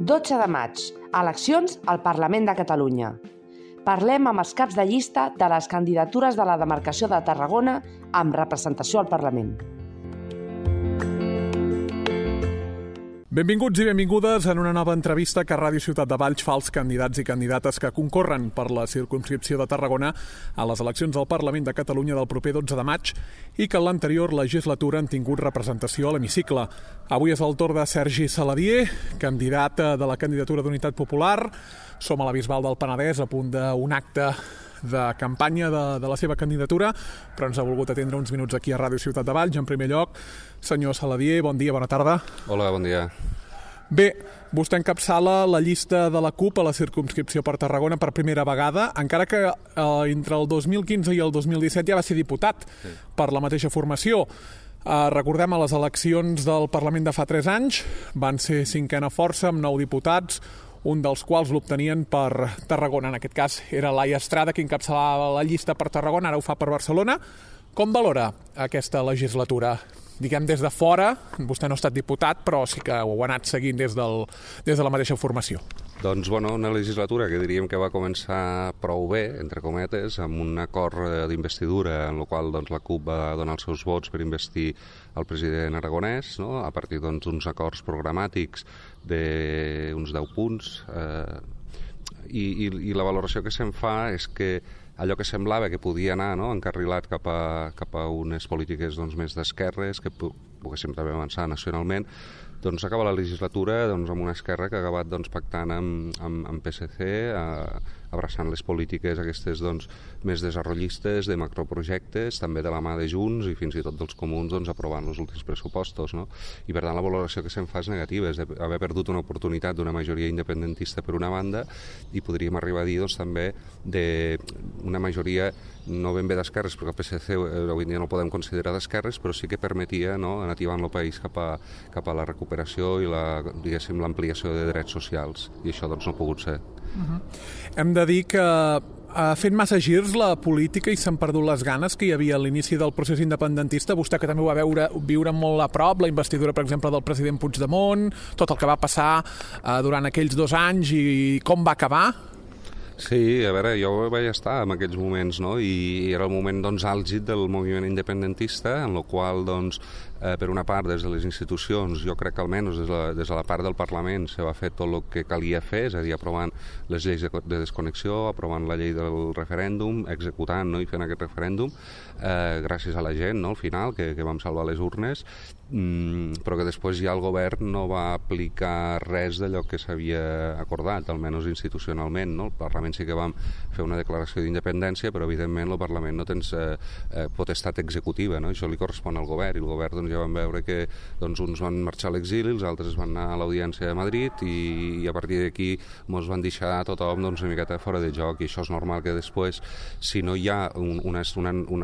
12 de maig, eleccions al Parlament de Catalunya. Parlem amb els caps de llista de les candidatures de la demarcació de Tarragona amb representació al Parlament. Benvinguts i benvingudes en una nova entrevista que Ràdio Ciutat de Valls fa als candidats i candidates que concorren per la circumscripció de Tarragona a les eleccions al Parlament de Catalunya del proper 12 de maig i que en l'anterior legislatura han tingut representació a l'hemicicle. Avui és el torn de Sergi Saladié, candidat de la candidatura d'Unitat Popular. Som a la Bisbal del Penedès, a punt d'un acte de campanya de la seva candidatura, però ens ha volgut atendre uns minuts aquí a Ràdio Ciutat de Valls. En primer lloc, senyor Saladié, bon dia, bona tarda. Hola, bon dia. Bé, vostè encapçala la llista de la CUP a la circumscripció per Tarragona per primera vegada, encara que entre el 2015 i el 2017 ja va ser diputat per la mateixa formació. Recordem, a les eleccions del Parlament de fa 3 anys van ser cinquena força amb 9 diputats, un dels quals l'obtenien per Tarragona. En aquest cas era Laia Estrada, qui encapçalava la llista per Tarragona, ara ho fa per Barcelona. Com valora aquesta legislatura? Diguem, des de fora, vostè no ha estat diputat, però sí que ho ha anat seguint des de la mateixa formació. Doncs, una legislatura que diríem que va començar prou bé, entre cometes, amb un acord d'investidura en el qual la CUP va donar els seus vots per investir el president aragonès, no? A partir d'uns acords programàtics d'uns 10 punts. I la valoració que se'n fa és que allò que semblava que podia anar encarrilat cap a unes polítiques més d'esquerres, que poguéssim també avançar nacionalment, acaba la legislatura amb una esquerra que ha acabat pactant amb PSC, abraçant les polítiques aquestes més desenvolupistes, de macroprojectes, també de la mà de Junts i fins i tot dels comuns aprovant els últims pressupostos. No? I per tant la valoració que se'n fa és negativa, és d'haver perdut una oportunitat d'una majoria independentista per una banda i podríem arribar a dir també d'una majoria no ben bé d'esquerres, perquè el PSC avui en dia no el podem considerar d'esquerres, però sí que permetia anar ativant el país cap a la recuperació i l'ampliació de drets socials, i això no ha pogut ser. Hem de dir que ha fet massa girs la política i s'han perdut les ganes que hi havia a l'inici del procés independentista. Vostè, que també ho va viure molt a prop, la investidura, per exemple, del president Puigdemont, tot el que va passar durant aquells 2 anys i com va acabar. Sí, a veure, jo vaig estar en aquells moments, no? I era el moment àlgid del moviment independentista, en el qual, per una part, des de les institucions, jo crec que almenys des de la part del Parlament se va fer tot el que calia fer, és a dir, aprovant les lleis de desconnexió, aprovant la llei del referèndum, executant i fent aquest referèndum, gràcies a la gent, al final, que vam salvar les urnes, però que després ja el govern no va aplicar res d'allò que s'havia acordat, almenys institucionalment. No? El Parlament sí que vam fer una declaració d'independència, però evidentment el Parlament no tens potestat executiva, no? Això li correspon al govern, i el govern ja vam veure que uns van marxar a l'exili, els altres van anar a l'Audiència de Madrid i a partir d'aquí ens van deixar tothom una miqueta fora de joc, i això és normal que després, si no hi ha una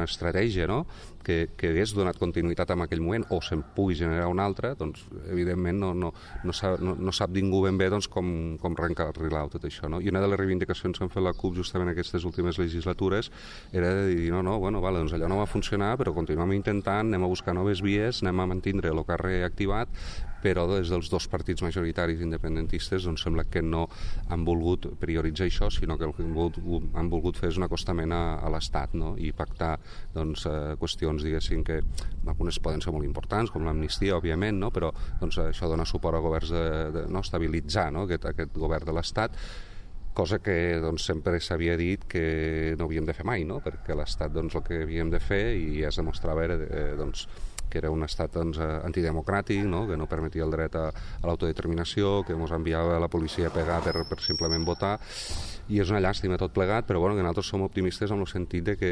estratègia, no?, que hagués donat continuïtat en aquell moment o se'n pugui generar una altra, evidentment no sap ningú ben bé com reencarrilar tot això. No? I una de les reivindicacions que han fet la CUP justament en aquestes últimes legislatures era de dir, allò no va funcionar, però continuem intentant, anem a buscar noves vies, anem a mantindre el que ha reactivat, però des dels 2 partits majoritaris independentistes sembla que no han volgut prioritzar això, sinó que el que han volgut fer és un acostament a l'Estat, no? I pactar qüestions, diguéssim, que algunes poden ser molt importants, com l'amnistia, òbviament, no? Però això dona suport a governs de estabilitzar, no? aquest govern de l'Estat, cosa que sempre s'havia dit que no havíem de fer mai, no? Perquè l'Estat el que havíem de fer, i ja es demostrava, era que era un estat antidemocràtic, no? Que no permetia el dret a l'autodeterminació, que ens enviava la policia a pegar per simplement votar, i és una llàstima tot plegat, però que nosaltres som optimistes en el sentit de que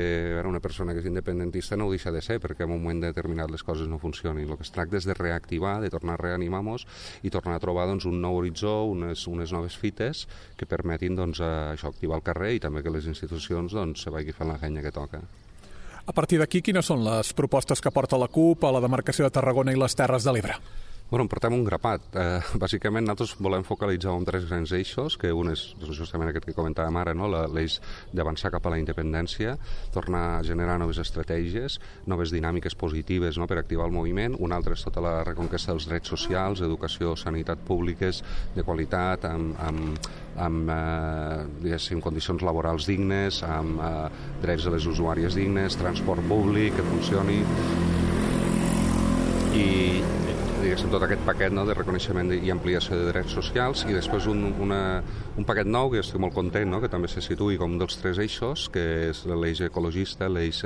una persona que és independentista no ho deixa de ser, perquè en un moment determinat les coses no funcionin. El que es tracta és de reactivar, de tornar a reanimar-nos i tornar a trobar un nou horitzó, unes noves fites que permetin això, activar el carrer, i també que les institucions se vagi fent la feina que toca. A partir d'aquí, quines són les propostes que porta la CUP a la demarcació de Tarragona i les Terres de l'Ebre? Bueno, en portem un grapat. Bàsicament, nosaltres volem focalitzar en 3 grans eixos, que un és justament aquest que comentàvem ara, no? L'eix d'avançar cap a la independència, tornar a generar noves estratègies, noves dinàmiques positives, no? Per activar el moviment. Un altre és tota la reconquesta dels drets socials, educació, sanitat públiques de qualitat, amb condicions laborals dignes, amb drets de les usuàries dignes, transport públic que funcioni i tot aquest paquet, no, de reconeixement i ampliació de drets socials, i després un paquet nou que estic molt content, no, que també se situï com un dels 3 eixos, que és l'eix ecologista, l'eix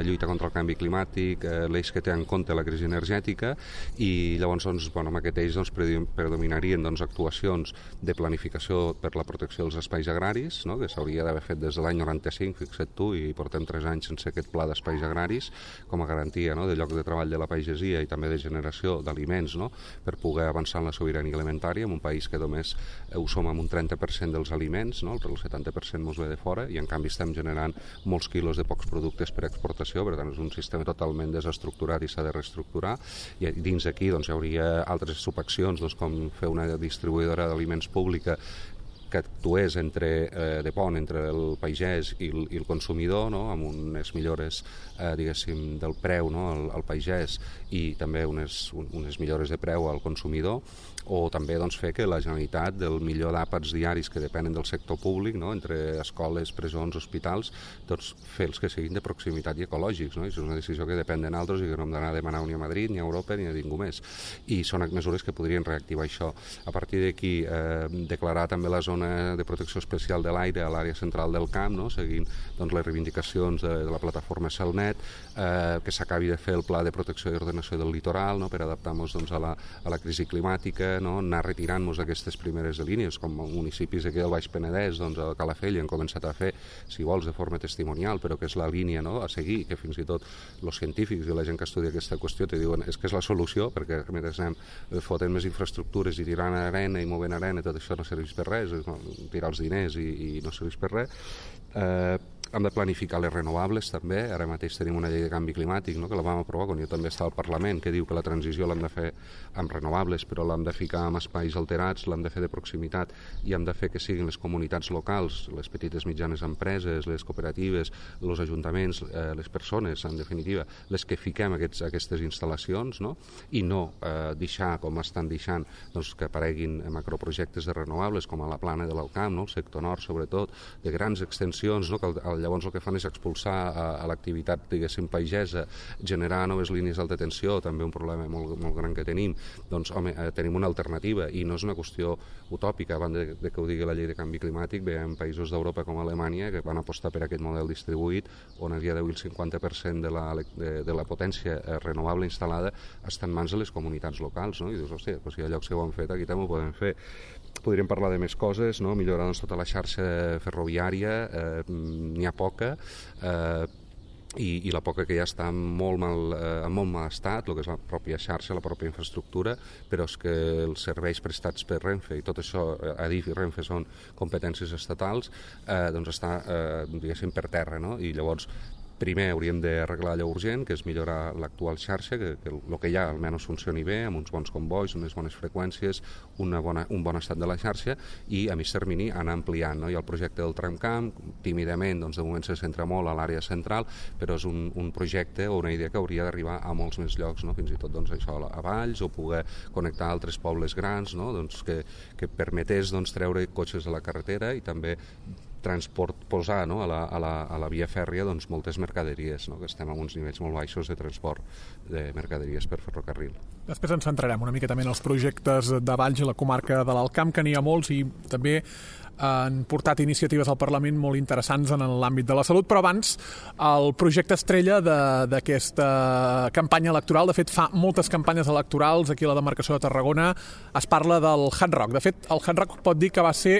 lluita contra el canvi climàtic, l'eix que té en compte la crisi energètica, i llavors amb aquest eix predominarien actuacions de planificació per la protecció dels espais agraris, no, que s'hauria d'haver fet des de l'any 95, fixa't tu, i portem 3 anys sense aquest pla d'espais agraris com a garantia, no, de lloc de treball de la pagesia i també de generació d'aliments, no, per poder avançar en la sobirania alimentària en un país que només ho som amb un 30% dels aliments, no, el 70% ens ve de fora, i en canvi estem generant molts quilos de pocs productes per exportació. Per tant és un sistema totalment desestructurat i s'ha de reestructurar, i dins d'aquí hi hauria altres subaccions, com fer una distribuïdora d'aliments pública que actués de pont entre el pagès i el consumidor, no? Amb unes millores del preu, no? al pagès, i també unes millores de preu al consumidor, o també fer que la Generalitat, del millor d'àpats diaris que depenen del sector públic, no? Entre escoles, presons, hospitals, fer els que siguin de proximitat i ecològics, no? I és una decisió que depèn de nosaltres i que no hem d'anar a demanar ni a Madrid, ni a Europa, ni a ningú més. I són mesures que podrien reactivar això. A partir d'aquí, declarar també la zona de protecció especial de l'aire a l'àrea central del camp, no? Seguint les reivindicacions de la plataforma Celnet, que s'acabi de fer el pla de protecció i ordenació del litoral, no? Per adaptar-nos a la crisi climàtica, no? Anar retirant-nos aquestes primeres línies, com municipis aquí del Baix Penedès, a Calafell han començat a fer, si vols, de forma testimonial, però que és la línia, no? A seguir, que fins i tot els científics i la gent que estudia aquesta qüestió te diuen és que és la solució, perquè mentre anem fotent més infraestructures i tirant arena i movent arena, tot això no serveix per res, tirar els diners i no serveix per res. Hem de planificar les renovables també. Ara mateix tenim una llei de canvi climàtic, no? Que la vam aprovar quan jo també estava al Parlament, que diu que la transició l'hem de fer amb renovables, però l'hem de ficar en espais alterats, l'hem de fer de proximitat, i hem de fer que siguin les comunitats locals, les petites mitjanes empreses, les cooperatives, els ajuntaments, les persones, en definitiva, les que fiquem aquestes instal·lacions, no? I no deixar, com estan deixant, que apareguin macroprojectes de renovables, com a la plana de l'Alcamp, no? El sector nord, sobretot, de grans extensions, no? Que llavors el que fan és expulsar a l'activitat, diguéssim, pagesa, generar noves línies d'alta tensió, també un problema molt, molt gran que tenim. Doncs, home, tenim una alternativa, i no és una qüestió utòpica. Abans de que ho digui la llei de canvi climàtic, veiem països d'Europa com Alemanya que van apostar per aquest model distribuït, on a dia d'avui el 50% de la potència renovable instal·lada està en mans de les comunitats locals, no? I dius, hòstia, si hi ha llocs que ho han fet, aquí també ho podem fer. Podríem parlar de més coses, no? Millorar tota la xarxa ferroviària, n'hi ha poca, i la poca que ja està en molt mal estat, el que és la pròpia xarxa, la pròpia infraestructura, però és que els serveis prestats per Renfe, i tot això, Adif i Renfe són competències estatals, doncs està, diguéssim, per terra, no? I llavors primer hauríem d'arreglar allò urgent, que és millorar l'actual xarxa, que el que hi ha almenys funcioni bé, amb uns bons convois, unes bones freqüències, un bon estat de la xarxa, i a mig termini anar ampliant, no? Hi ha el projecte del tramcamp, tímidament, de moment se centra molt a l'àrea central, però és un projecte o una idea que hauria d'arribar a molts més llocs, no? Fins i tot això a Valls, o poder connectar altres pobles grans, no? Que permetés treure cotxes de la carretera i també posar, no? a la via fèrria moltes mercaderies, no? Que estem a uns nivells molt baixos de transport de mercaderies per ferrocarril. Després ens centrarem una miqueta en els projectes de Valls i la comarca de l'Alcamp, que n'hi ha molts, i també han portat iniciatives al Parlament molt interessants en l'àmbit de la salut, però abans el projecte estrella d'aquesta campanya electoral, de fet fa moltes campanyes electorals aquí a la demarcació de Tarragona, es parla del Hard Rock. De fet, el Hard Rock pot dir que va ser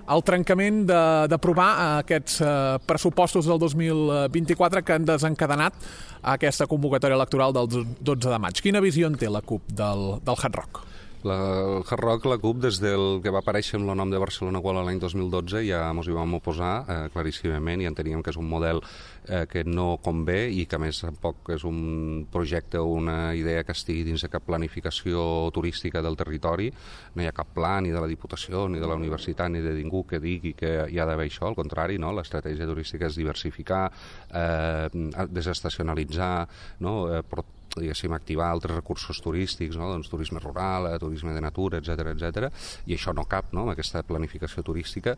el trencament d'aprovar aquests pressupostos del 2024 que han desencadenat aquesta convocatòria electoral del 12 de maig. Quina visió en té la CUP del Hard Rock? El Hard Rock, la CUP, des del que va aparèixer amb el nom de Barcelona World l'any 2012 ja ens hi vam oposar claríssimament i enteníem que és un model que no convé i que a més tampoc és un projecte o una idea que estigui dins de cap planificació turística del territori. No hi ha cap pla ni de la Diputació, ni de la Universitat, ni de ningú que digui que hi ha d'haver això. Al contrari, no? L'estratègia turística és diversificar, desestacionalitzar, no? Diguéssim, activar altres recursos turístics, no? Doncs turisme rural, turisme de natura, etc. I això no cap, no? Amb aquesta planificació turística.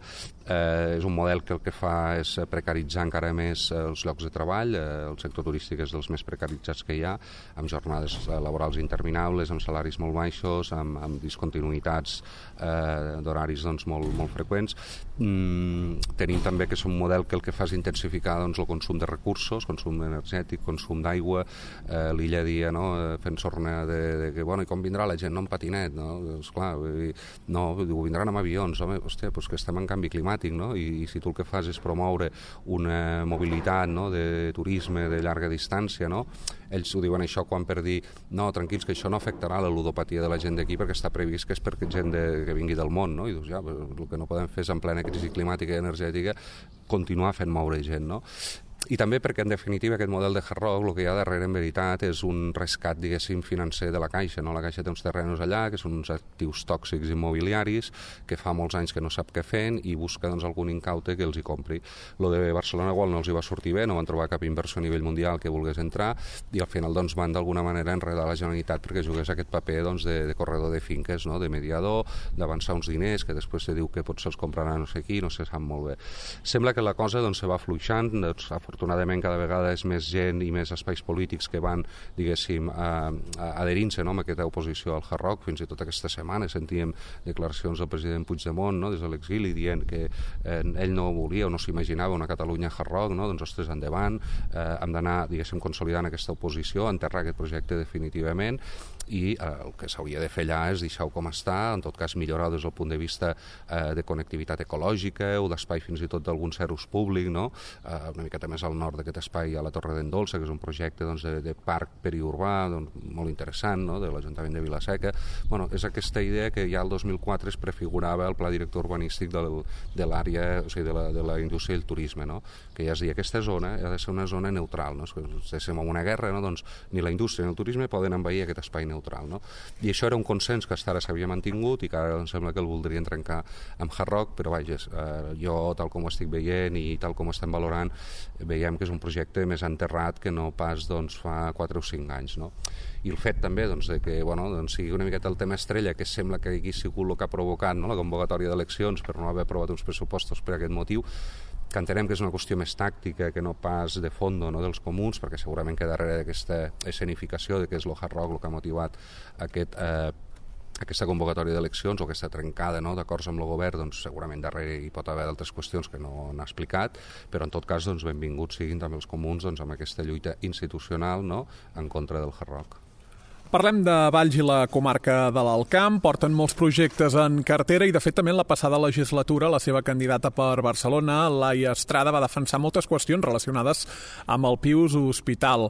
És un model que el que fa és precaritzar encara més els llocs de treball. El sector turístic és dels més precaritzats que hi ha, amb jornades laborals interminables, amb salaris molt baixos, amb discontinuïtats d'horaris doncs, molt freqüents. Tenim també que és un model que el que fa és intensificar doncs, el consum de recursos, consum energètic, consum d'aigua, l'illa dia, no? Fent sorna de que, bueno, i com vindrà la gent? No en patinet, no? Esclar, no, vindran amb avions, home, hòstia, doncs que estem en canvi climàtic, no? I si tu el que fas és promoure una mobilitat, no? De turisme de llarga distància, no? Ells ho diuen això quan per dir, no, tranquils, que això no afectarà la ludopatia de la gent d'aquí perquè està previst que és per gent que vingui del món, no? I dius, ja, el que no podem fer és en plena crisi climàtica i energètica continuar fent moure gent, no? I també perquè, en definitiva, aquest model de Hard Rock, el que hi ha darrere, en veritat, és un rescat, diguéssim, financer de la Caixa, no? La Caixa té uns terrenos allà, que són uns actius tòxics immobiliaris, que fa molts anys que no sap què fent, i busca, doncs, algun incaute que els hi compri. Lo de Barcelona World no els hi va sortir bé, no van trobar cap inversió a nivell mundial que volgués entrar, i al final, doncs, van d'alguna manera enredar la Generalitat perquè jugués aquest paper, doncs, de corredor de finques, no? De mediador, d'avançar uns diners, que després se diu que potser els comprarà no sé qui, no se sap molt bé. Sembla que la cosa, doncs, se va fluixant, doncs, afortunadament cada vegada és més gent i més espais polítics que van, diguéssim, adherint-se, no? Amb aquesta oposició al Hard Rock. Fins i tot aquesta setmana sentíem declaracions del president Puigdemont, no? Des de l'exili, dient que ell no volia o no s'imaginava una Catalunya Hard Rock, no? Doncs, ostres, endavant, hem d'anar, diguéssim, consolidant aquesta oposició, enterrar aquest projecte definitivament, i el que s'hauria de fer allà és deixar-ho com està, en tot cas millorar des del punt de vista de connectivitat ecològica o d'espai fins i tot d'algun serús públic, no? Una miqueta més al nord d'aquest espai a la Torre d'en Dolça, que és un projecte, doncs, de parc periurbà, doncs, molt interessant, no? De l'Ajuntament de Vila-seca. Bueno, és aquesta idea que ja el 2004 es prefigurava el pla director urbanístic de l'àrea, o sigui, de la indústria i el turisme, no? Que ja es deia, aquesta zona ha de ser una zona neutral, no? Si estem en una guerra, no? Doncs ni la indústria ni el turisme poden envair aquest espai neutral, no? I això era un consens que fins ara s'havia mantingut i que ara em sembla que el voldrien trencar amb Hard Rock, però vaja, jo, tal com ho estic veient i tal com ho estem valorant, veiem que és un projecte més enterrat que no pas, doncs, fa 4 o 5 anys, no? I el fet també, doncs, de que, bueno, doncs, sigui una miqueta el tema estrella, que sembla que aquí ha sigut el que ha provocat, no? La convocatòria d'eleccions per no haver aprovat uns pressupostos per aquest motiu, que entenem que és una qüestió més tàctica que no pas de fondo, no? Dels comuns, perquè segurament que darrere d'aquesta escenificació de que és el Hard Rock el que ha motivat aquesta convocatòria d'eleccions o aquesta trencada, no? D'acords amb el govern, doncs segurament darrere hi pot haver d'altres qüestions que no n'ha explicat, però en tot cas, doncs, benvinguts siguin també els comuns, doncs, amb aquesta lluita institucional, no? En contra del Hard Rock. Parlem de Valls i la comarca de l'Alt Camp. Porten molts projectes en cartera i, de fet, també en la passada legislatura la seva candidata per Barcelona, Laia Estrada, va defensar moltes qüestions relacionades amb el Pius Hospital.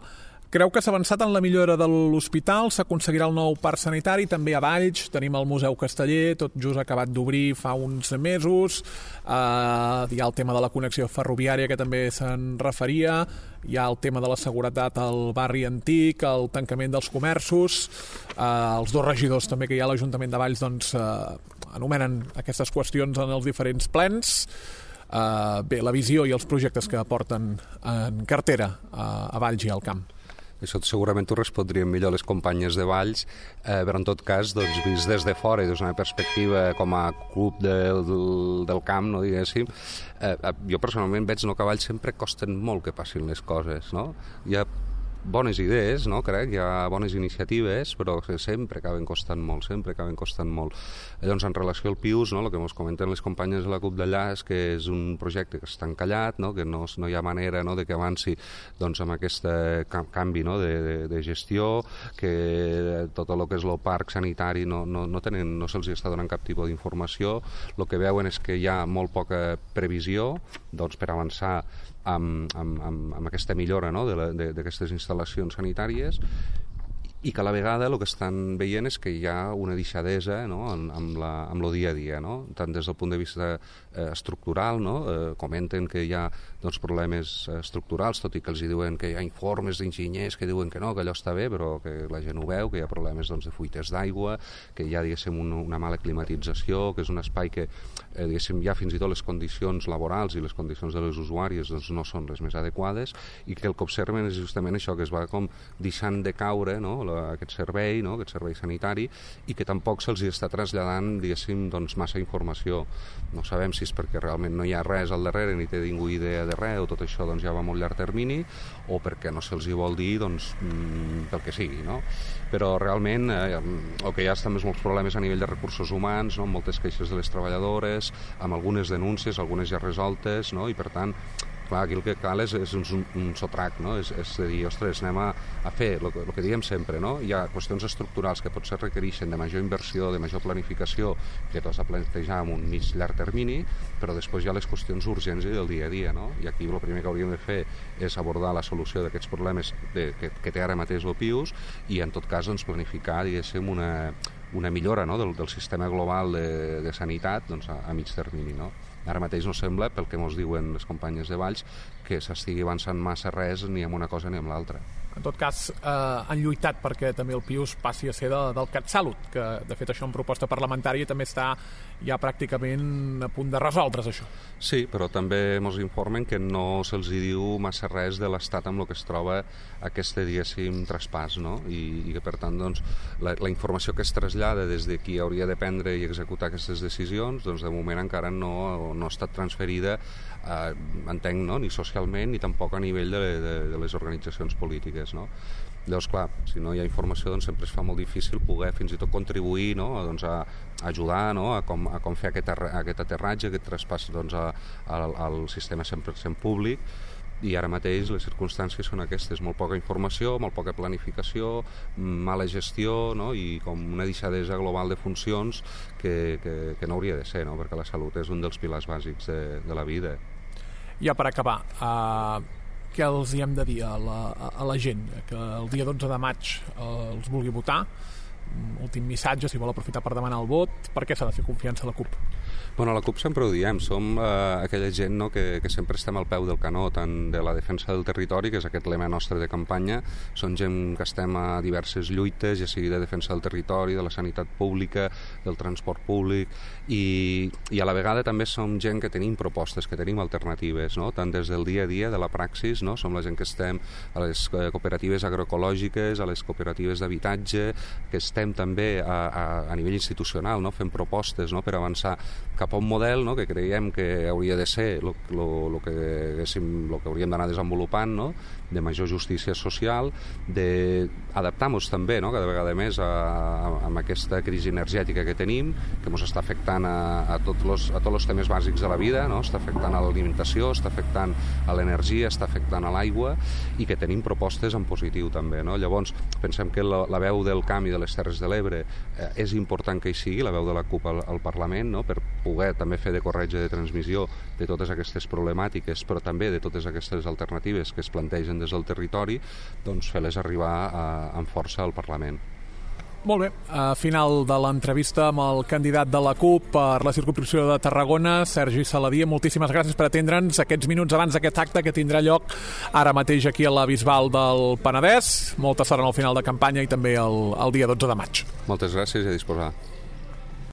Creu que s'ha avançat en la millora de l'hospital, s'aconseguirà el nou parc sanitari, també a Valls tenim el Museu Casteller, tot just acabat d'obrir fa uns mesos, hi ha el tema de la connexió ferroviària que també se'n referia, hi ha el tema de la seguretat al barri antic, el tancament dels comerços, els dos regidors també que hi ha a l'Ajuntament de Valls doncs, anomenen aquestes qüestions en els diferents plens. Bé, la visió i els projectes que porten en cartera a Valls i al Camp. Això segurament t'ho respondrien millor les companyes de Valls, però en tot cas, doncs, vist des de fora i des d'una perspectiva com a club del camp, no, diguéssim, jo personalment veig, no, que a Valls sempre costen molt que passin les coses, no? Hi ha bones idees, no? Crec, hi ha bones iniciatives, però sempre acaben costant molt, Llavors, en relació al Pius, no, el que ens comenten les companyes de la CUP d'allà és que és un projecte que està encallat, no? Que no hi ha manera, no, de que avanci, doncs, amb aquest canvi, no, de gestió, que tot el que és el parc sanitari no se'ls està donant cap tipus d'informació. El que veuen és que hi ha molt poca previsió, doncs, per avançar amb aquesta millora, no, d'aquestes instal·lacions sanitàries, i que a la vegada el que estan veient és que hi ha una deixadesa, no?, amb el dia a dia, no?, tant des del punt de vista estructural, no?, comenten que hi ha doncs, problemes estructurals, tot i que els diuen que hi ha informes d'enginyers que diuen que no, que allò està bé, però que la gent ho veu, que hi ha problemes doncs, de fuites d'aigua, que hi ha, diguéssim, una mala climatització, que és un espai que, diguéssim, ja fins i tot les condicions laborals i les condicions de les usuàries doncs, no són les més adequades, i que el que observen és justament això, que es va com deixant de caure, no?, aquest servei, no?, aquest servei sanitari, i que tampoc se'ls està traslladant, diguéssim, doncs, massa informació. No sabem si és perquè realment no hi ha res al darrere, ni té ningú idea de res, o tot això doncs, ja va a molt llarg termini, o perquè no se'ls hi vol dir, doncs, pel que sigui, no? Però realment el que hi ha també és molts problemes a nivell de recursos humans, no?, moltes queixes de les treballadores, amb algunes denúncies, algunes ja resoltes, no?, i per tant, clar, aquí el que cal és un sotrac, no?, és de dir, ostres, anem a fer el que diem sempre, no?, hi ha qüestions estructurals que potser requereixen de major inversió, de major planificació, que t'has de plantejar en un mig llarg termini, però després hi ha les qüestions urgents del dia a dia, no?, i aquí el primer que hauríem de fer és abordar la solució d'aquests problemes que té ara mateix el PIUS i en tot cas doncs, planificar, diguéssim, una millora, no?, del sistema global de sanitat doncs, a mig termini, no? Ara mateix no sembla, pel que ens diuen les companyes de Valls, que s'estigui avançant massa res ni amb una cosa ni amb l'altra. En tot cas, han lluitat perquè també el PIUS passi a ser del CatSalut, que de fet això en proposta parlamentària també està ja pràcticament a punt de resoldre's això. Sí, però també ens informen que no se'ls diu massa res de l'estat amb el que es troba aquest, diguéssim, traspàs, no? I que per tant doncs, la informació que es trasllada des de qui hauria de prendre i executar aquestes decisions, doncs de moment encara no ha estat transferida, entenc, no?, ni socialment ni tampoc a nivell de les organitzacions polítiques, no? Llavors, clar, si no hi ha informació doncs sempre es fa molt difícil poder fins i tot contribuir, no?, doncs a ajudar, no?, a com fer aquest aterratge, aquest traspàs doncs, al sistema 100% públic, i ara mateix les circumstàncies són aquestes, molt poca informació, molt poca planificació, mala gestió, no?, i com una deixadesa global de funcions que no hauria de ser, no?, perquè la salut és un dels pilars bàsics de la vida. Ja per acabar, què els hi hem de dir a la gent? Que el dia 12 de maig els vulgui votar? Últim missatge, si vol aprofitar per demanar el vot, per què s'ha de fer confiança a la CUP? Bueno, a la CUP sempre ho diem, som aquella gent, no, que sempre estem al peu del canó, tant de la defensa del territori, que és aquest lema nostre de campanya, som gent que estem a diverses lluites, ja sigui de defensa del territori, de la sanitat pública, del transport públic, i a la vegada també som gent que tenim propostes, que tenim alternatives, no? Tant des del dia a dia, de la praxis, no? Som la gent que estem a les cooperatives agroecològiques, a les cooperatives d'habitatge, que estem també a nivell institucional, no? Fent propostes, no?, per avançar cap a un model, no?, que creiem que hauria de ser el que hauríem d'anar desenvolupant, no?, de major justícia social, d'adaptar-nos també, no?, cada vegada més amb aquesta crisi energètica que tenim, que ens està afectant a tots els temes bàsics de la vida, no?, està afectant a l'alimentació, està afectant a l'energia, està afectant a l'aigua, i que tenim propostes en positiu també, no? Llavors, pensem que la veu del Camp i de les Terres de l'Ebre és important que hi sigui, la veu de la CUP al Parlament, no?, per poder també fer de corretja de transmissió de totes aquestes problemàtiques, però també de totes aquestes alternatives que es plantegen des del territori, doncs fer-les arribar amb força al Parlament. Molt bé, final de l'entrevista amb el candidat de la CUP per la circumscripció de Tarragona, Sergi Saladié. Moltíssimes gràcies per atendre'ns aquests minuts abans d'aquest acte que tindrà lloc ara mateix aquí a la Bisbal del Penedès. Molta sort en el final de campanya i també el dia 12 de maig. Moltes gràcies i a disposar.